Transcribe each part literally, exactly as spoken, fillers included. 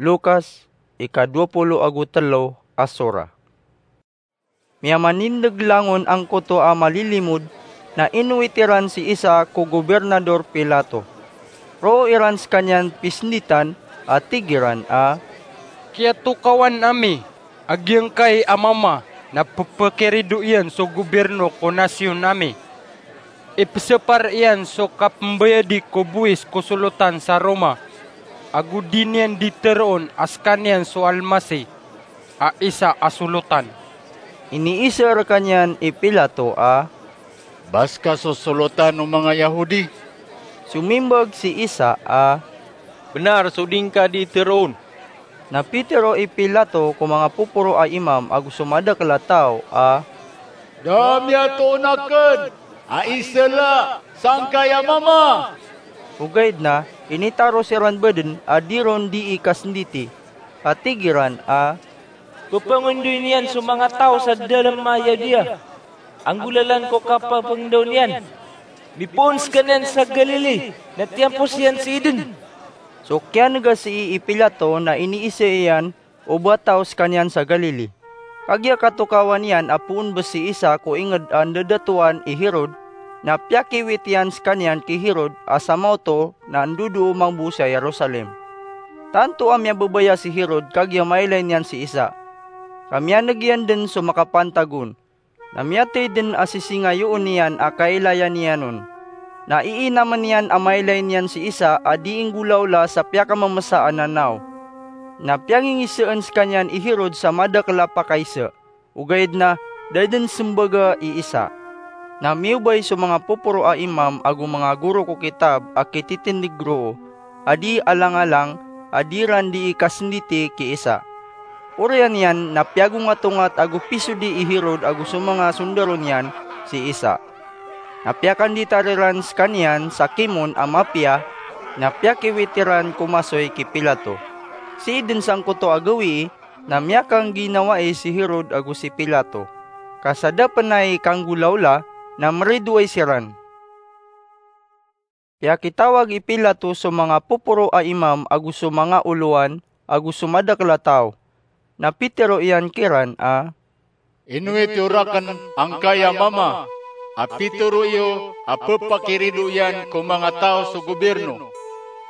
Lukas, ika dowa polo ago telo a sora. Miyamanindeg langon angkoto a malilimod, na inowit iran si Isa ko Gobernador Pilato. Roo iran sekaniyan pisenditan, a tig iran a, "Kiyatokawan ami a giyangkai a mama na pepakirido iyan so goberno ko nasiyon ami. Ipesapar iyan so kapembayadi ko bowis ko solotan sa Roma, ago di niyan di teroon a sekaniyan so Almasih a isa a solotan." Iniiza rekaniyan i Pilato a, "Ba seka so solotan o manga Yahudi?" Somimbag si Isa a, "Benar so di ngka di teroon." Na pitero i Pilato ko manga poporo a imam ago so madakel a taw a, "Da miyatoon aken a isela sangkai a mama." Ogaid na initaro siran baden a di ron dii kasenditi, a tig iran a, "Pepangendoy niyan so manga taw sa dalem a Yudea. Anggolalan ko kapapangendaw niyan. Mipoon sekaniyan sa Galili, na tiyampos iyan si Eden." So kiyanegasii i Pilato na iniiza iyan o ba taw sekaniyan sa Galili. Kagiya katokawan iyan a poon bes si Isa ko inged a ndadatoan i Herod, na piyakiwit iyan sekaniyan ki Herod a samaoto na ndodoo mambo sa Jerusalem. Tanto a miyababaya si Herod kagiya mailay niyan si Isa. Ka miyaneg iyan den so makapantag on. Na miyatay den a sisingayoon iyan a kailayan iyan on. Na iinamen iyan a mailay niyan si Isa a dii nggolaola sa piyakamemesa a nanaw. Na piyangingisaan sekaniyan i Herod sa madakel a pakaiza. Ogaid na da den sembaga i Isa. Na miobay so manga poporo a imam ago manga goro ko kitab a kititindeg roo, a di alangalang, a di ran dii kasenditi ki Isa. Oriyan iyan na piyagongatongat ago pisodi i Herod ago so manga sondaro niyan si Isa. Na piyakanditar iran sekaniyan sa kimon a mapiya, na piyakiwit iran ko masoy ki Pilato. Sii den sangkoto a gawii, na miyakangginawai si Herod ago si Pilato. Ka sa da pen ai kanggolaola, na meridoay siran. Piyakitawag i Pilato so manga poporo a imam ago so manga olowan ago so madakel a taw. Na pitero iyan kiran a, "Inowit iyo raken angkai a mama a pitero iyo a pepakirido iyan ko manga taw so goberno,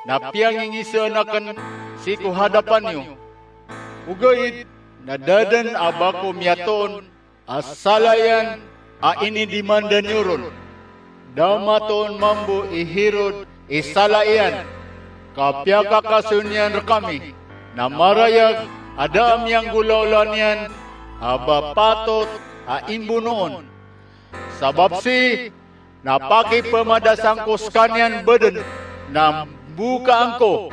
na piyangingisaan aken sii ko hadapan iyo. Ogaid na da den a ba ko miyatoon a sala iyan a inidimanda niyo ron. Da matoon mambo i Herod i sala iyan, ka piyakakasoy niyan rekami, na marayag a da a miyanggolaola niyan a ba patot a imbonoon. Sabap sii na pakipemadasan ko sekaniyan baden na mbokaan ko."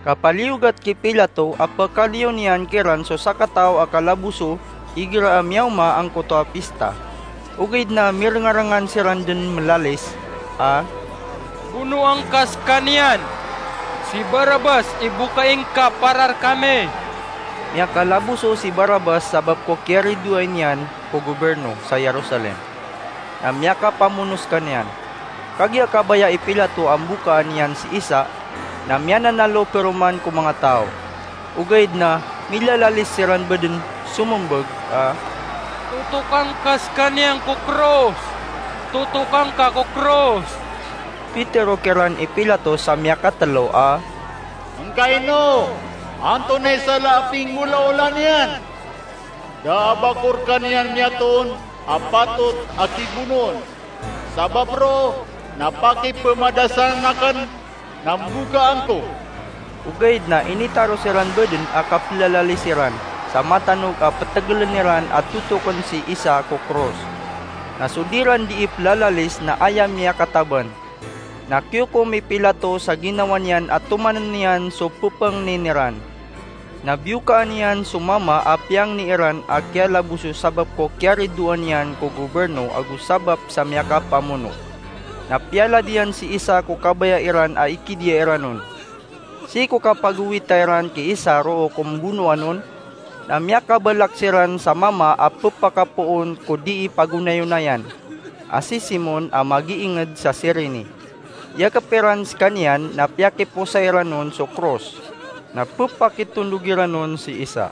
Kapaliyogat ki Pilato a pekaliyo niyan kiran so sakataw a kalaboso igira a miyaoma angkoto a pista. Ogaid na mirengarengan siran den melalis a, "Bonoan ka sekaniyan! Si Barabas i bokaing ka para rekami!" Miyakalaboso si Barabas sabap ko kiyaridoay niyan ko goberno sa Jerusalem. Na miyakapamono sekaniyan. Kagiya kabaya i Pilato a mbokaan iyan si Isa, na miyananalo peroman ko manga taw. Ogaid na milalalis siran baden somembag a, "Totokan ka sekaniyan ko kros! Totokan ka ko kros!" Pitero kiran i Pilato sa miyakatelo a, "Angkaino? Antonaa i sala a pinggolaola niyan? Da a ba ko rekaniyan miyatoon a patot a kibonoon. Sabap roo na pakipemadasan aken na mbokaan ko." Ogaid na initaro siran baden a kapelalalis iran sa matanog a petegelen iran a totoken si Isa ko kros. Na so di ran dii pelalalis na aya miyakataban. Na kiyokom i Pilato sa ginawa niyan a tomanen iyan so pepangnin iran. Na biyokaan iyan so mama a piyangni iran a kiyalaboso sabap ko kiyaridoan iyan ko goberno ago sabap sa miyakapamono. Na piyalad iyan si Isa ko kabaya iran a ikidiya iran on. Sii ko kapagowita iran ki Isa roo ko mbonoan on, na miyakabalak siran sa mama a pepakapoon ko dii pagonayonayan, a si Simon a magiinged sa Cirene. Iyakep iran sekaniyan na piyakiposay ran on so kros. na pepakitondog iran on si Isa.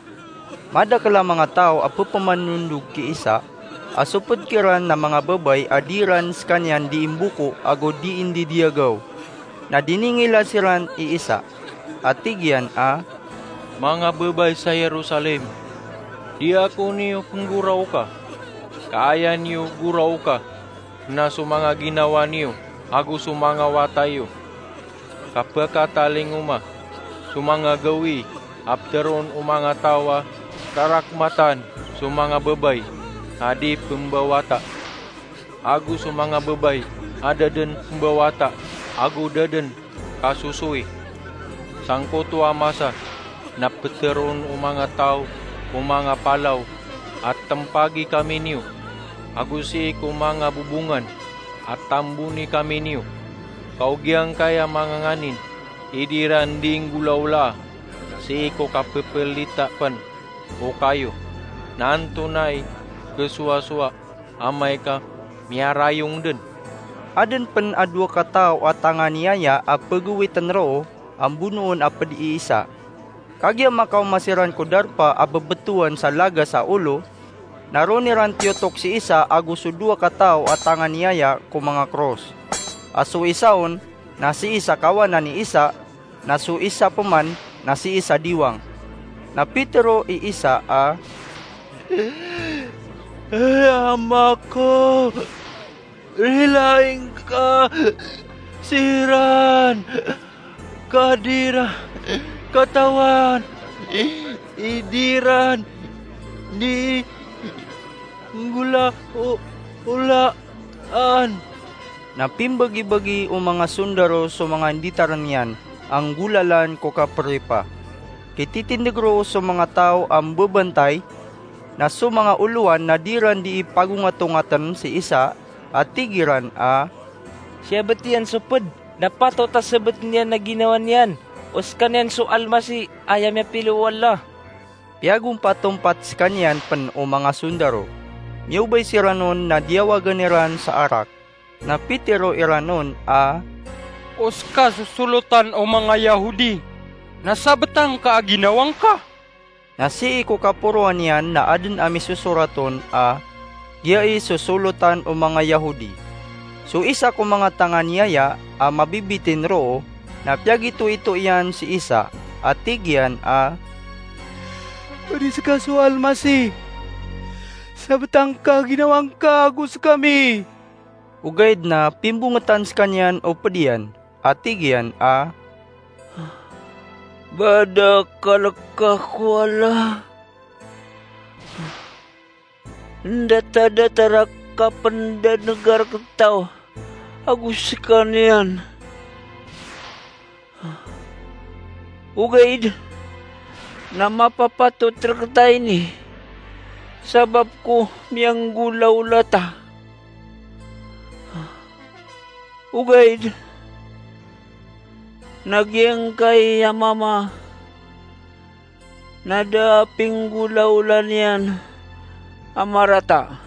Madakel a manga taw a pepemanondog ki Isa, a soped kiran na manga babay a di iran sekaniyan dii mboko ago dii ndidiyagaw. Na diningila siran i Isa, a tig iyan a, "Manga babay sa Jerusalem, di ako niyo penggoraoka, ka aya niyo goraoka na so manga ginawa niyo ago so manga wata iyo. Kapekatalingoma so manga gawii a peteroon o manga taw a rarakmatan so manga babay a di pembawata, ago so manga babay a da den pembawata ago da den kasosoy. Sangkoto a masa na peteroon o manga taw o manga palaw a tempagi kami niyo, ago sii ko manga bobongan a tamboni kami niyo. Ka o giyangkai a manga nganin i di iran dii nggolawlaa sii ko kapepelita pen o kayo, na antonaa i kesowasowa amay ka miyarayong den?" Aden pen a dowa kataw a tanganiyaya a pegawiten roo a mbonoon a ped i Isa. Kagiya makaoma siran ko darpa a bebetowan sa lagas a olo, na ron iran tiyotok si Isa ago so dowa kataw a tanganiyaya ko manga kros. A so isa on na sii sa kawanan i Isa, na so isa peman na sii sa diwang. Na pitero i Isa a, "Ay Ama ko, rilaing ka siran, ka di iran katawan i di iran dii nggolawlaan." Na pimbagibagi o manga sondaro so manga nditaren iyan a nggolalan ko kapripa. Kititindeg roo so manga taw a mbebantay, na so manga olowan na di iran dii pagongatongaten si Isa, a tig iran a, "Siyabet iyan so ped na patot a sebeten iyan a ginawa niyan o sekaniyan so Almasih, aya miyapilio o Allah." Piyagompatompat sekaniyan pen o manga sondaro. Miyobay siran on na diyawagen iran sa arak. Na pitero iran on a, "O seka so solotan o manga Yahudi, na sabetang ka a ginawang ka?" Na sii ko kaporoan iyan na aden a misosorat on a, "Giyai so solotan o manga Yahudi." So isa ko manga tanganiyaya a mabibitin roo na piyagitoito iyan si Isa, a tig iyan a, "Odi seka so Almasih, sabetang ka a ginawang ka ago sekami." Ogaid na pimbongetan sekaniyan o ped iyan, a tig iyan a, "Ba da kaleka ko Allah, ndatadatar a kapendanegar ketaw ago sekaniyan. Ogaid na mapapatot reketa ini sabap ko miyanggolawla ta. Ogaid na giyangkai a mama na da a pinggolawla niyan a marata."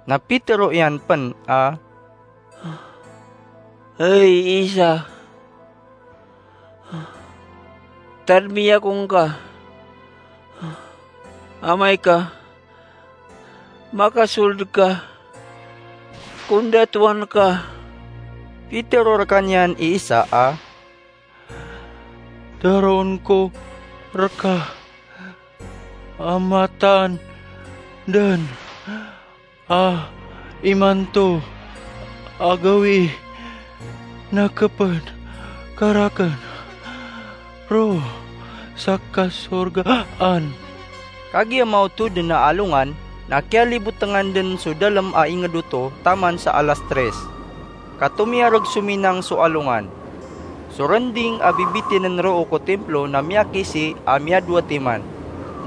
Na pitero iyan pen a, "Hay Isa, tadmi ako ngka amay ka makasold ka ko ndatowan ka." Pitero rekaniyan i Isa a, "Teroon ko reka a mataan den a imanto a gawii na keped ka raken roo sa kasorgaan." Kagiya maoto den a alongan, na kiyalibotengan den so dalem a inged oto taman sa alas tres. Kato miyareg sominang so alongan. So rending a bibitinen roo ko timplo na miyakisi a miyadowa timan.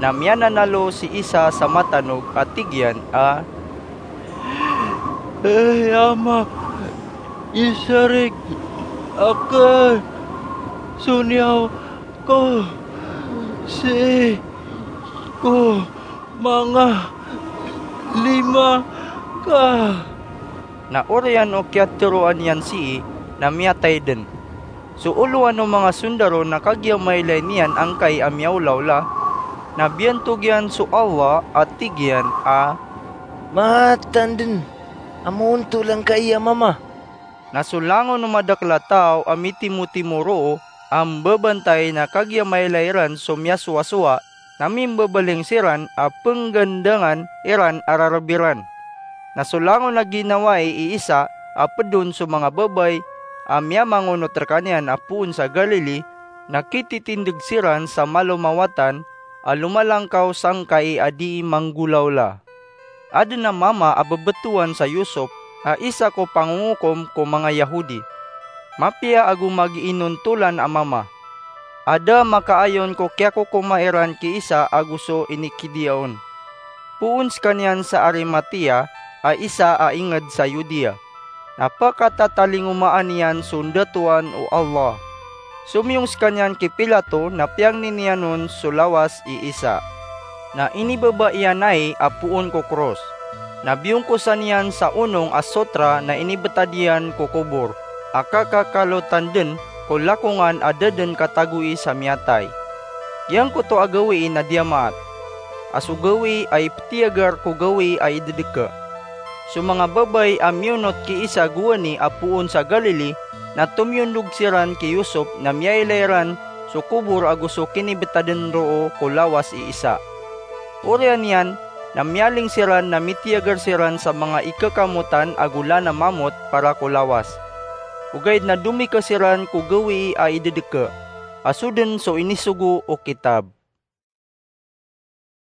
Na miyananalo si Isa sa matanog a tig iyan a, "Hay Ama, isarig aken so niyawa ko sii ko manga lima ka." Na oriyan o kiyateroan iyan sii na miyatay den. So olowan o manga sondaro na kagiya mailay niyan angkai a miyaolawla, na biyantog iyan so Allah a tig iyan a, "Matandn a maontol angkai a mama." Na so langon o madakel a taw a mitimotimo roo a mbabantay na kagiya mailay ran so miyasowasowa, na mimbabaling siran a penggandangan iran a rareb iran. Na so langon a ginawai i Isa a ped on so manga babay a miyamangonot rekaniyan a poon sa Galili, na kititindeg siran sa malo mawatan a lomalangkaw sangkai a dii manggolawla. Aden a mama a bebetowan sa Yusop a isa ko pangongokom ko manga Yahudi. Mapiya ago magiinontolan a mama. Ada makaayon ko kiyakokoma iran ki Isa ago so inikidiya on. Poon sekaniyan sa Arimatea a isa a inged sa Yudea. Na pekatatalingomaan iyan so ndatoan o Allah. Somiyong sekaniyan ki Pilato na piyangnin iyan on so lawas i Isa. Na inibaba iyan ai a poon ko kros. Na biyongkosan iyan sa onong a sotra na inibetad iyan ko kobor a kakakalotan den ko lakongan a da den katagoi sa miyatay. Giyangkoto a gawii na diyamaat a so gawii a ipetiyagar ko gawii a idedeke. So manga babay a miyonot ki Isa gowani a poon sa Galili na tomiyondog siran ki Yusop na miyailay ran so kobor ago so kinibetaden roo ko lawas i Isa. Oriyan iyan na miyaling siran na mitiyagar siran sa manga ikekamotan ago lana mamot para ko lawas. Ogaid na domika siran ko gawii a idedeke, a so den so inisogo o kitab.